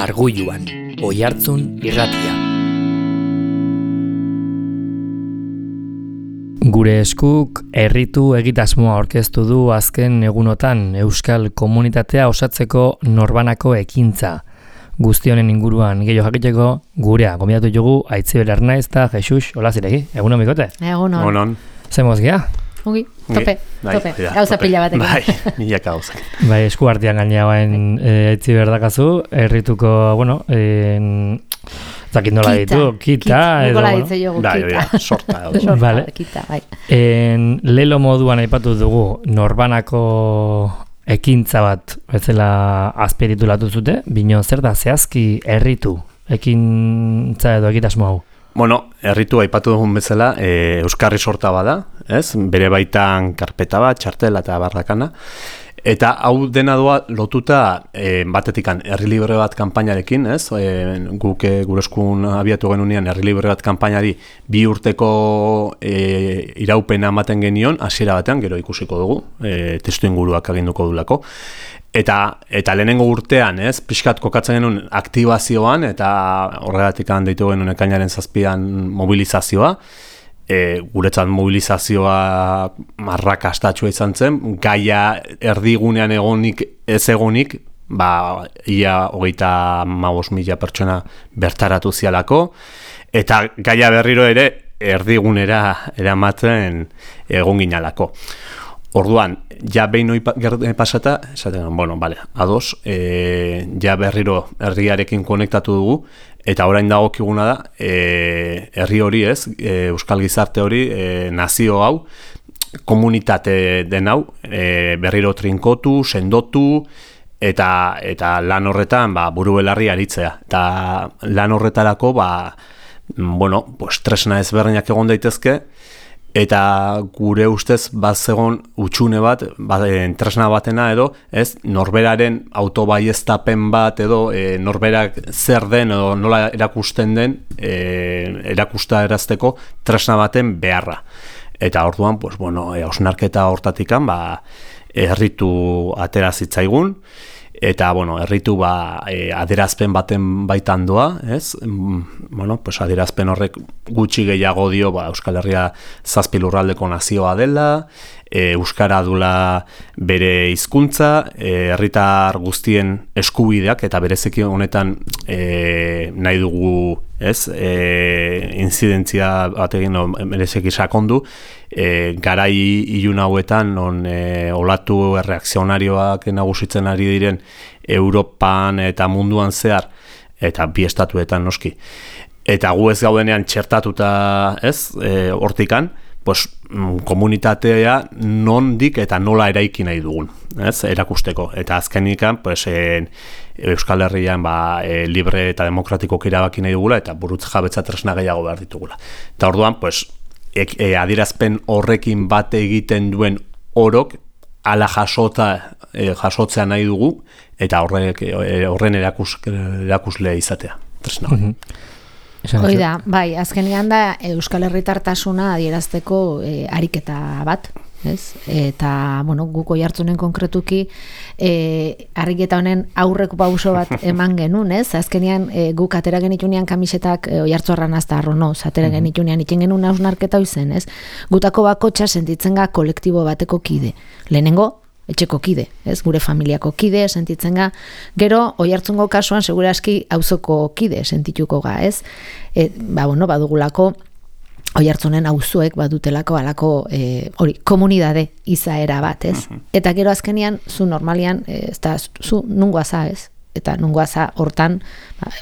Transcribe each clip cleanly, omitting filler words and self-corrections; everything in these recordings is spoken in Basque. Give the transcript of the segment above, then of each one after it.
Arguluan, Oihartzun irratia. Gure eskuk herritu egitasmoa aurkeztu du azken egunotan euskal komunitatea osatzeko norbanako ekintza. Guzti honen inguruan gehiago jakiteko gurea gonbidatu dugu Aitziber Arnaiz eta Jesus Olaziregi. Egunon bikote? Egunon. Zemoz gea? Ongi, tope, gauza pila batekin. Bai, milaka gauza. Bai, esku artean gainagoen Aitziber dakazu, herrituko, zakit nola ditu, kita edo, Nola ditze jogu, kita. Sorta. Vale. Kita, bai. Lelo moduan aipatu dugu norbanako ekintza bat bezala azperitulatu zute, bino zer da zehazki herritu ekintza edo egitasmo hau? Herritu aipatu dugun bezala, euskarri sorta bada, ez? Bere baitan karpeta bat, txartela eta barrakana. Eta hau dena doa lotuta batetikan herri libre bat kanpainarekin, ez? Guk gure eskun abiatu genunean herri libre bat kanpainari 2 urteko iraupena ematen genion, hasiera batean, gero ikusiko dugu, testu inguruak aginduko dulako. Eta lehenengo urtean, ez, pixkat kokatzen genuen aktibazioan, eta horregatik deitu genuen ekainaren 7an mobilizazioa. Guretzat mobilizazioa arrakastatsua izan zen, gaia erdigunean ez egonik, ia 35.000 pertsona bertaratu zialako, eta gaia berriro ere erdigunera eramaten egon ginalako. Orduan, ja behin pasata, esaten, ados, ja berriro herriarekin konektatu dugu, eta orain dagokiguna da, herri hori ez, euskal gizarte hori, nazio hau, komunitate den hau, berriro trinkotu, sendotu, eta lan horretan buru belarri aritzea. Eta lan horretarako, tresna ezberdinak egon daitezke, eta gure ustez bazegon utxune bat, tresna batena edo, ez, norberaren autobaieztapen bat edo norberak zer den edo nola erakusten den erakustarazteko tresna baten beharra. Eta orduan, hausnarketa hortatikan, herritu atera zitzaigun, eta, herritu adierazpen baten baitan doa, ez? Adierazpen horrek gutxi gehiago dio, Euskal Herria 7 lurraldeko nazioa dela, euskara dula bere hizkuntza, herritar guztien eskubideak, eta bereziki honetan nahi dugu, ez? Inzidentzia batekin bereziki sakondu, garai ilun hauetan non olatu erreakzionarioak nagusitzen ari diren Europan eta munduan zehar, eta bi estatuetan noski. Eta gu ez gaudenean txertatuta, ez, hortikan, komunitatea nondik eta nola eraiki nahi dugun, ez, erakusteko. Eta azkenikan, Euskal Herrian libre eta demokratikok erabaki nahi dugula, eta burutz jabetza tresna gehiago behar ditugula. Eta orduan, adierazpen horrekin bate egiten duen orok, ala jasotzea nahi dugu, eta horren erakusle izatea, tresna hori. Hoi da, azkenean da Euskal Herritartasuna adierazteko ariketa bat, ez? Eta, guk Oihartzunen konkretuki ariketa honen aurreko pauso bat eman genuen, ez? Azkenean guk atera genitunean kamisetak Oihartzorran azta arronoz, atera genitunean itxen genuen hausnarketa izen, ez? Gutako bakotxa sentitzen ga kolektibo bateko kide. Lehenengo, etxeko kide, ez? Gure familiako kide sentitzen ga, gero Oihartzungo kasuan segure aski auzoko kide sentituko ga, ez? Badugulako Oihartzunen auzoek badutelako alako komunidade izaera bat, ez? Eta gero azkenean zu normalian zu nungoaza, ez? Eta nungoaza hortan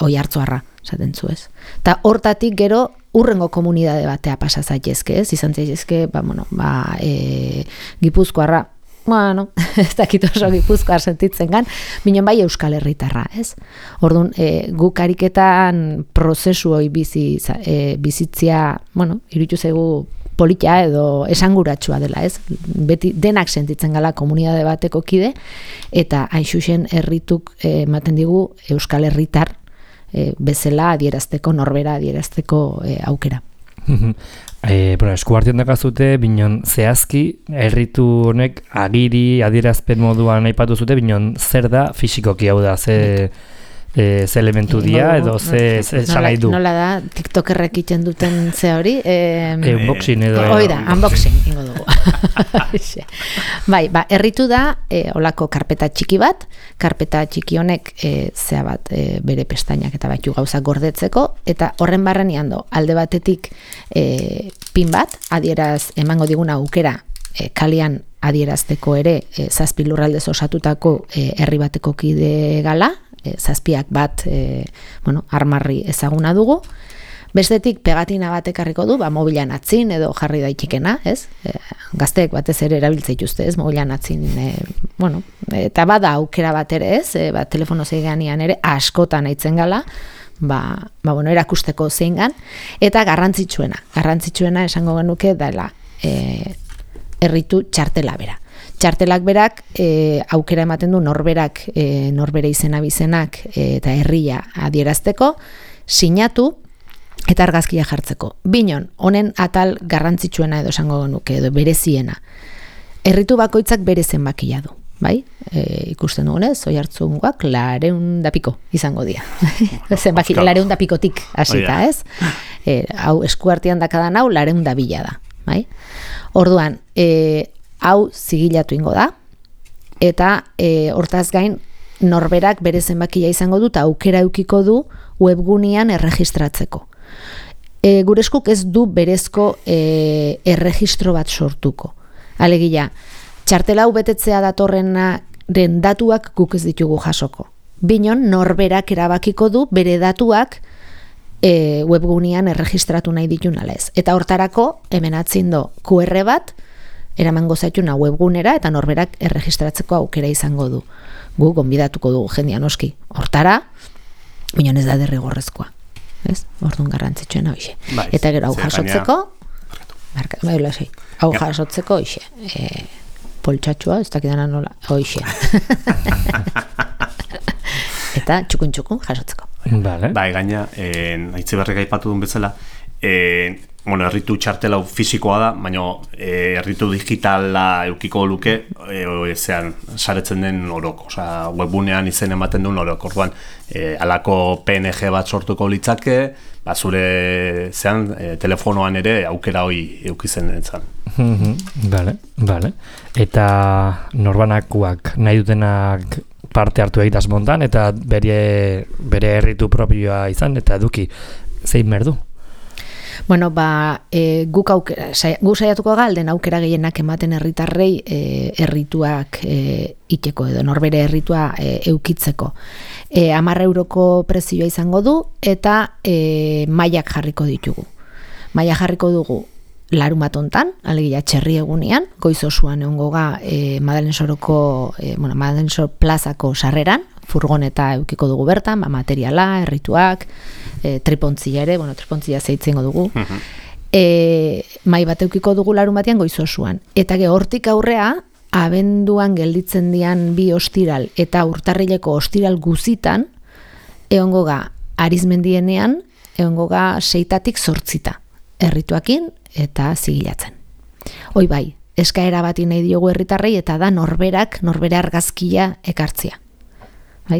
Oihartzuarra esaten zu, ez? Eta hortatik gero urrengo komunidade batea pasa zaitezke, ez? Izan zaitezke, Gipuzkoarra, ez dakit oso Gipuzkoar sentitzen gan, binen bai Euskal Herritarra, ez? Orduan, guk ariketan prozesu hori bizitzia, iruditu zaigu politia edo esanguratsua dela, ez? Beti denak sentitzen gala komunidade bateko kide, eta hain xuxen herrituk ematen digu Euskal Herritar bezala adierazteko, norbera adierazteko aukera. Esku artean dakazute, binon zehazki, herritu honek agiri adierazpen moduan aipatu zute, binon zer da fisikoki hau da, ze elementu dia, edo ze salai du. Nola da, TikTokerrek iten duten ze hori? Unboxing edo. Oida, unboxing ingo dugu. Bai, erritu da, olako karpeta txiki bat, karpeta txiki honek zea bat bere pestainak eta batu gauzak gordetzeko, eta horren barrenean do, alde batetik pin bat, adieraz emango diguna aukera, kalian adierazteko ere, zazpi lurraldez osatutako herri bateko kide gala, zazpiak bat armarri ezaguna dugu. Bestetik pegatina bat ekarriko du, mobilan atzin edo jarri daitekena, ez? Gazteek batez ere erabiltze dituzte, ez? Mobilan atzin, eta bada aukera bat ere, ez? Telefono zeiganean ere askotan aitzen gala, erakusteko zeingan, eta garrantzitsuena esango genuke dela erritu txartela bera. Txartelak berak aukera ematen du norbere izena bizenak eta herria adierazteko, sinatu eta argazkia jartzeko. Binon, honen atal garrantzitsuena edo esango genuke edo bereziena. Erritu bakoitzak bere zenbakia du, bai? Ikusten dugunez, Oiartzungoak 200 piko izango dira. Zenbaki 200 pikotik hasita, ez? Hau eskuartean dakadan hau 200 da, bai? Orduan, hau zigilatu ingo da, eta hortaz gain norberak bere zenbakia izango du eta aukera eukiko du webgunean erregistratzeko. Gure eskuk ez du berezko erregistro bat sortuko. Alegia, txartela hau betetzea datorrenaren datuak guk ez ditugu jasoko. Binon norberak erabakiko du bere datuak webgunean erregistratu nahi ditun alez. Eta hortarako, hemen atzindo QR bat, eramango zaituna webgunera eta norberak erregistratzeko aukera izango du. Gu gonbidatuko dugu jendean oski. Hortara, binon ez da derrigorrezkoa. Ez? Orduan garrantzitsuena hoxe. Eta gero hau jasotzeko, hau jasotzeko hoxe. Poltsatxua, ez dakidana nola, hoxe. Eta txukun jasotzeko. Vale. Gaina, Aitziberrek aipatu duen bezala, erritu txartela fisikoa da, baina erritu digitala eukiko luke saretzen den orok, webgunean izen ematen duen orok. Orduan, alako PNG bat sortuko litzake, zure telefonoan ere aukera hori eukizen entzan. Vale. Eta norbanakoak nahi dutenak parte hartu egitaz montan, eta bere erritu propioa izan, eta eduki zein merdu? Bueno, guk saiatuko galden aukera gehienak ematen herritarrei errituak iteko edo norbere erritua eukitzeko. 10 euroko prezioa izango du eta mailak jarriko ditugu. Maila jarriko dugu larunbat hontan, alegia txerri egunean, goiz osoan egongo ga Madalen Soro plazako sarreran, furgoneta eukiko dugu bertan, materiala, errituak, tripontzia ere, tripontzia zeitzengo dugu. Mai bat eukiko dugu larun batean goiz osoan. Eta hortik aurrea, abenduan gelditzen dian 2 ostiral eta urtarrileko ostiral guzitan, egongo ga Arizmendienean, egongo ga 6tatik 8 errituakin eta zigilatzen. Hoi bai, eskaera bati nahi diogu herritarrei eta da norbere argazkia ekartzea.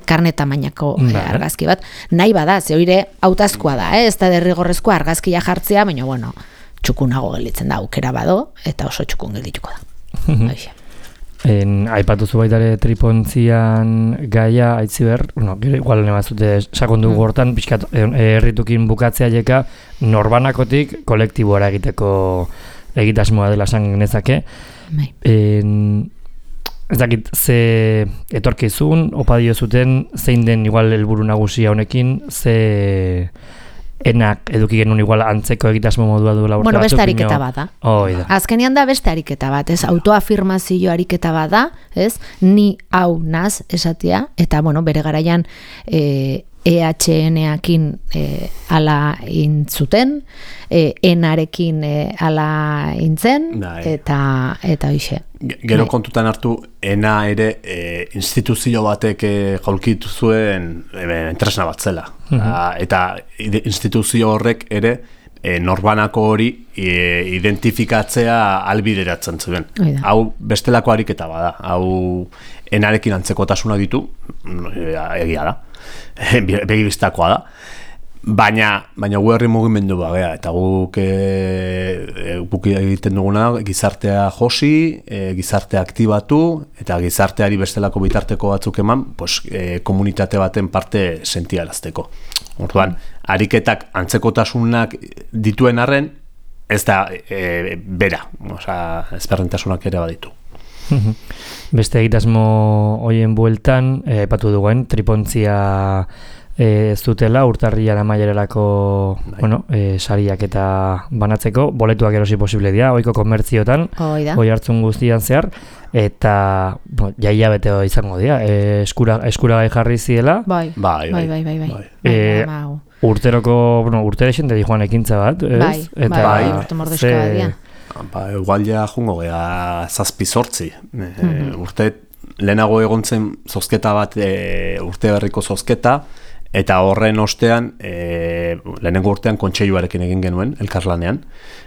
Karne tamainako argazki bat. Nahi bada, ze hoire hautazkoa da, ez da derrigorrezkoa argazkia jartzea, baina, txukunago gelditzen da, aukera bado, eta oso txukun geldituko da. Aipatuzu baitare tripontzian gaia, Aitziber, igual nemazute sakondu gortan, pixkat erritukin bukatzea jeka, norbanakotik kolektiboara egitasmoa dela esan genezake. Ez dakit, ze etorkizun, opa dio zuten, zein den igual helburu nagusia honekin, ze enak eduki genuen igual antzeko egitasmo modua duela urte batzuk. Beste ariketa bat da. Azkenean da beste ariketa bat, ez? Autoafirmazio ariketa bat da, ez? Ni hau naz esatea, eta bere garaian EHN-akin ala intzuten, enarekin ala intzen, eta hoxe. Gero kontutan hartu, ena ere instituzio batek jaulkitu zuen tresna bat zela. Eta instituzio horrek ere norbanako hori identifikatzea albideratzen zuen. Hau bestelako ariketa bada, hau enarekin antzekotasuna ditu, egia da, begibistakoa da, baina gu herri mugimendu bagea, eta guk egiten duguna gizartea josi, gizartea aktibatu, eta gizarteari bestelako bitarteko batzuk eman, komunitate baten parte sentiarazteko. Orduan, ariketak antzekotasunak dituen arren, ez da bera, ezberdintasunak ere baditu. Beste egitasmo hoien bueltan, epatu duguen, tripontzia ez dutela, urtarrian amaierarako sariak eta banatzeko, boletuak erosi posible dira, oiko komertziotan, oi hartzun guztian zehar, eta jaia beteo izango dira, eskuragai jarri ziela. Bai. Urteroko, urtere xente di joan ekintza bat, ez? Bai, urte mordezkoa dira. Igual ja jungo gea 7-8. Urte lehenago egontzen zozketa bat, urte berriko zozketa, eta horren ostean, lehenengo urtean kontseiluarekin egin genuen, elkarlanean.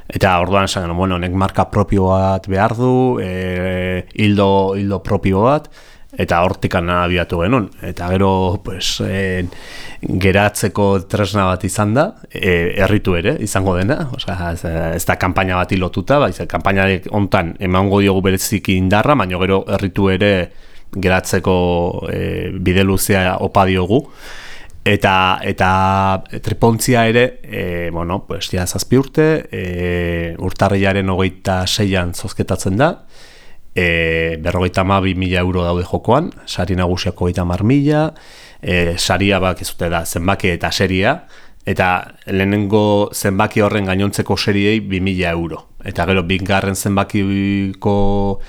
Eta orduan esan genuen, honek marka propio bat behar du, hildo propio bat, eta hortikan abiatu genuen. Eta gero, geratzeko tresna bat izan da, herritu ere, izango dena. Ez da kanpaina bat lotuta, kanpaina hontan emango diogu bereziki indarra, baina gero herritu ere geratzeko bide luzea opa diogu. Eta tripontzia ere, ja 7 urte, urtarrilaren 26an zozketatzen da, 52.000 euro daude jokoan, sari nagusiak 30.000, saria bakizute da zenbaki eta seria, eta lehenengo zenbaki horren gainontzeko seriei 2.000 euro. Eta gero bigarren zenbakiko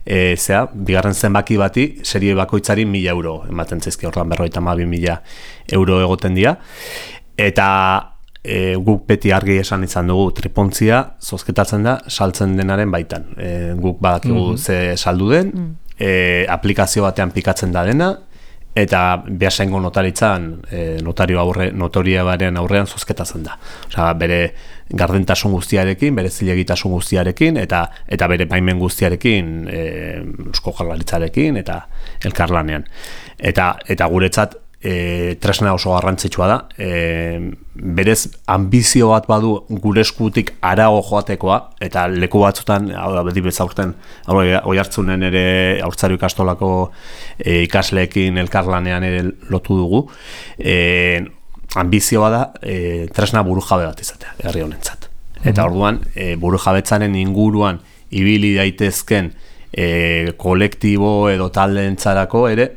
bigarren zenbaki bati serie bakoitzari 1.000 euro ematen zaizki, orduan 52.000 euro egoten dira. Eta guk beti argi esan izan dugu, tripontzia zozketatzen da saltzen denaren baitan. Guk badakigu ze saldu den, aplikazio batean pikatzen da dena, eta Beasaingo notaritzan notaria baren aurrean zozketatzen da. Bere gardentasun guztiarekin, bere zilegitasun guztiarekin, eta bere baimen guztiarekin, Eusko Jaurlaritzarekin eta elkarlanean. Eta guretzat tresna oso garrantzitsua da, berez ambizio bat badu gure eskutik harago joatekoa, eta leku batzutan, adibidez aurten, Oiartzunen ere Haurtzaro ikastolako ikasleekin elkarlanean ere lotu dugu, ambizioa da tresna burujabe bat izatea, herri honentzat. Eta orduan, burujabetzaren inguruan ibili daitezken kolektibo edo taldeentzarako ere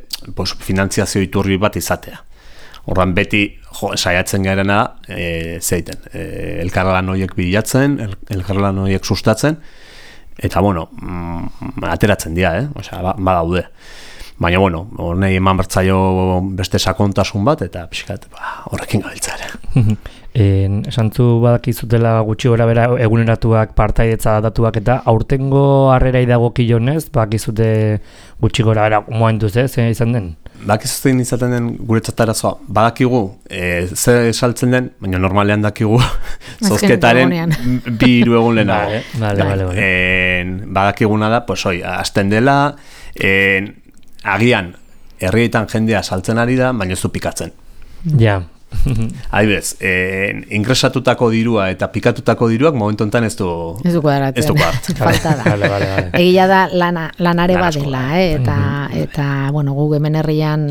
finantziazio iturri bat izatea. Orduan beti saiatzen garena zeiten, elkarlan horiek bilatzen, elkarlan horiek sustatzen, eta ateratzen dira, badaude. Baina, horrei eman bertzaio beste sakontasun bat, eta pixkat, horrekin gabiltzare. Esantzu badakizutela gutxi gora bera eguneratuak, partaidetza datuak, eta aurtengo harrera idagokionez, bakizute gutxi gora bera momentuz zein izan den? Bakizuten izaten den guretzat arazoa, badakigu, ze saltzen den, baina normalean dakigu zozketaren 2-3 egun lehenago. Badakiguna da, hasten dela, agian herrietan jendea saltzen ari da, baina ez du pikatzen. Ja. Adibidez, ingresatutako dirua eta pikatutako diruak momentu honetan ez du kuadratzen. Falta da. Egia da lanare badela, eta gu hemen herrian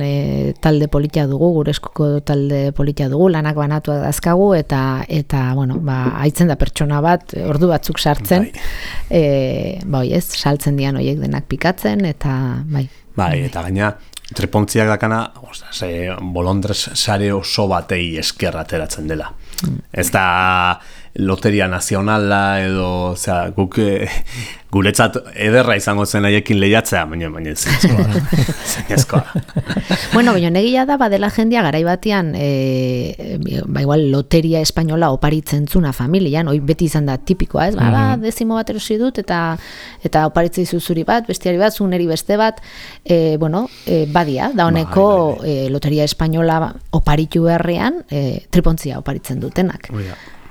talde politia dugu, gure eskuko talde politia dugu, lanak banatu dazkagu, eta haitzen da pertsona bat, ordu batzuk sartzen, saltzen dian horiek denak pikatzen, eta eta gaina, tripontziak dakana, bolondrez sare oso batei esker ateratzen dela. Ez da loteria nazionala edo, guk guretzat ederra izango zen haiekin lehiatzea, baina zinezkoa. Baina negia da, badela jendia garai batean, igual loteria espainola oparitzen zuna familian, hoi beti izan da tipikoa, ez? Dezimo bat erosi dut, eta oparitzei zuzuri bat, bestiari bat, zuneri beste bat, badia, da honeko loteria espainola oparitu herrian, tripontzia oparitzen dutenak.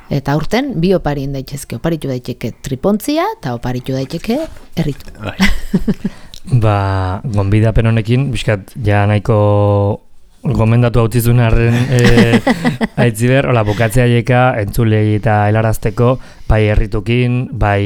Eta aurten bi oparin daitezke, oparitu daiteke tripontzia eta oparitu daiteke erritu. Gonbidapen honekin, bizkat, ja nahiko gomendatu hautizun arren aitziber, bukatzea jeka entzulei eta helarazteko, bai erritukin, bai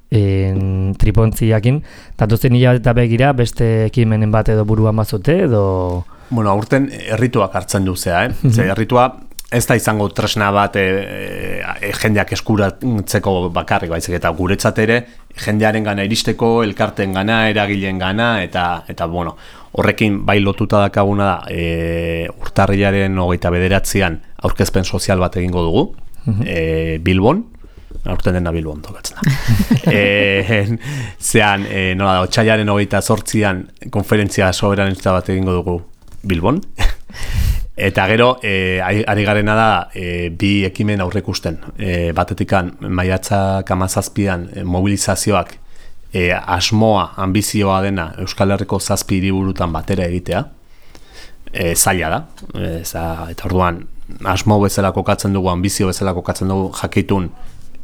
tripontziakin, datuzen hilabete eta begira, beste ekimenen bat edo buruan bazute, edo... Bueno, aurten errituak hartzen duzea, Ze erritua ez da izango tresna bat jendeak eskuratzeko bakarrik, baizik eta guretzat ere jendearen gana iristeko, elkarten gana, eragileen gana, eta bueno, horrekin bai lotuta dakaguna da urtarrilaren 29an aurkezpen sozial bat egingo dugu, Bilbon, aurten dena Bilbon tokatzen da. Zean, nola da, otsailaren 28an konferentzia soberanista bat egingo dugu Bilbon. Eta gero, ari garena da, bi ekimen aurrekusten. Batetikan, maiatzak 17an mobilizazioak asmoa, ambizioa dena Euskal Herriko 7 hiriburutan batera egitea. Zaila da. Eta orduan, asmo bezala kokatzen dugu, ambizio bezala kokatzen dugu, jakitun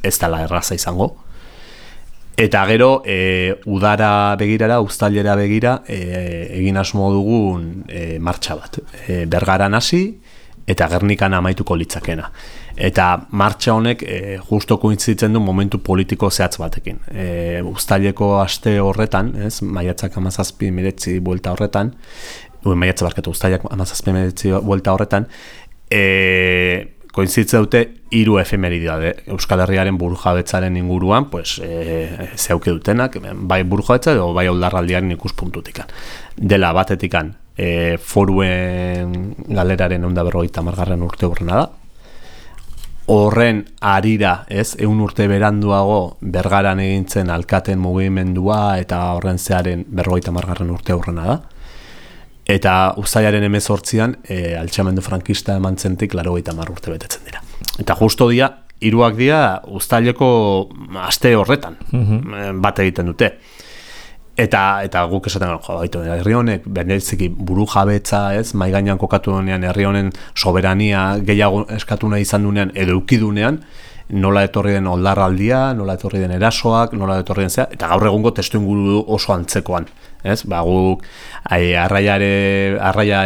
ez dela erraza izango. Eta gero, udara begirara, uztailera begira, egin asmo dugun martxa bat. Bergaran hasi eta Gernikan amaituko litzakena. Eta martxa honek justo kointzitzen du momentu politiko zehatz batekin. Uztaileko aste horretan, maiatzak 17-19 buelta horretan, uztailak 17-19 buelta horretan, kointzitze dute 3 efemeridade Euskal Herriaren burujabetzaren inguruan, zeuke dutenak, bai burujabetza edo bai oldarraldiaren ikuspuntutik. Dela batetikan, foruen galeraren 150. urte urrena da. Horren arira, 100 urte beranduago Bergaran egintzen alkaten mugimendua eta horren zearen 50. urte urrena da. Eta uztailaren 18an altxamendu frankista eman zentik 80 urte betetzen dira. Eta justo dia, 3 dira uztaileko aste horretan bat egiten dute. Eta guk esaten herri honek bereziki burujabetza, mahai gainean kokatu denean, herri honen soberania gehiago eskatu nahi izan dunean edo eukidunean, nola etorri den oldarraldia, nola etorri den erasoak, nola etorri den zea, eta gaur egungo testuinguru oso antzekoan. Guk arraia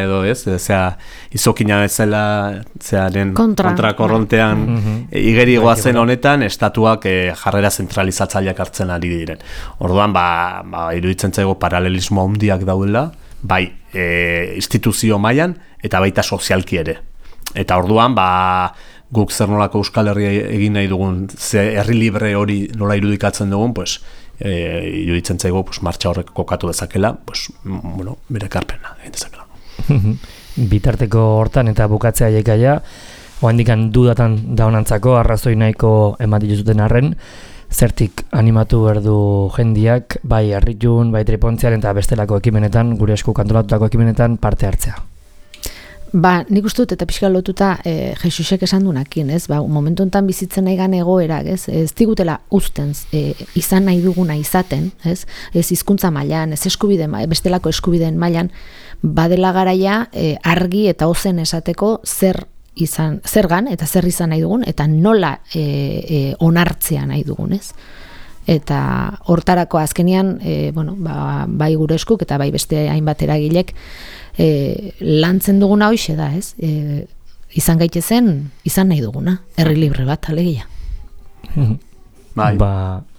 edo izokina bezala kontrakorrontean igeri goazen honetan estatuak jarrera zentralizatzaileak hartzen ari diren. Orduan, iruditzen zaigo paralelismo handiak daudela, bai instituzio mailan eta baita sozialki ere. Eta orduan, guk zer nolako Euskal Herria egin nahi dugun, herri libre hori nola irudikatzen dugun, iruditzen zaigo martxa horrek kokatu dezakela, bere ekarpena egin dezakela. Bitarteko hortan eta bukatzea jaikaia, oandikan dudatan daunantzako arrazoi nahiko ematik zuten arren, zertik animatu berdu jendiak, bai harritun, bai tripontziaren eta bestelako ekimenetan, gure esku kantolatutako ekimenetan parte hartzea. Nik uste dut eta pixka lotuta Jesusek esan dunakin, momentu enten bizitzen nahi gan egoerak, ez digutela uzten izan nahi duguna izaten, ez hizkuntza mailan, ez eskubideen, bestelako eskubideen mailan, badela garaia argi eta ozen esateko zergan eta zer izan nahi dugun, eta nola onartzea nahi dugun, ez? Eta hortarako azkenean, bai gure eskuk eta bai beste hainbat eragilek, lantzen duguna hoixe da, ez? Izan gaitezen, izan nahi duguna, herri libre bat, alegia.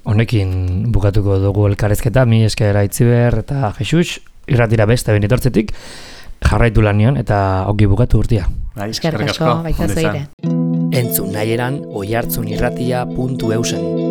Honekin bukatuko dugu elkarrezketa, mi esker Aitziber eta Jesus, irratira beste benitortzetik, jarraitu lanion eta ongi bukatu urtia. Eskerrik asko, baita zeire. Entzun nahieran oihartzunirratia.eusen.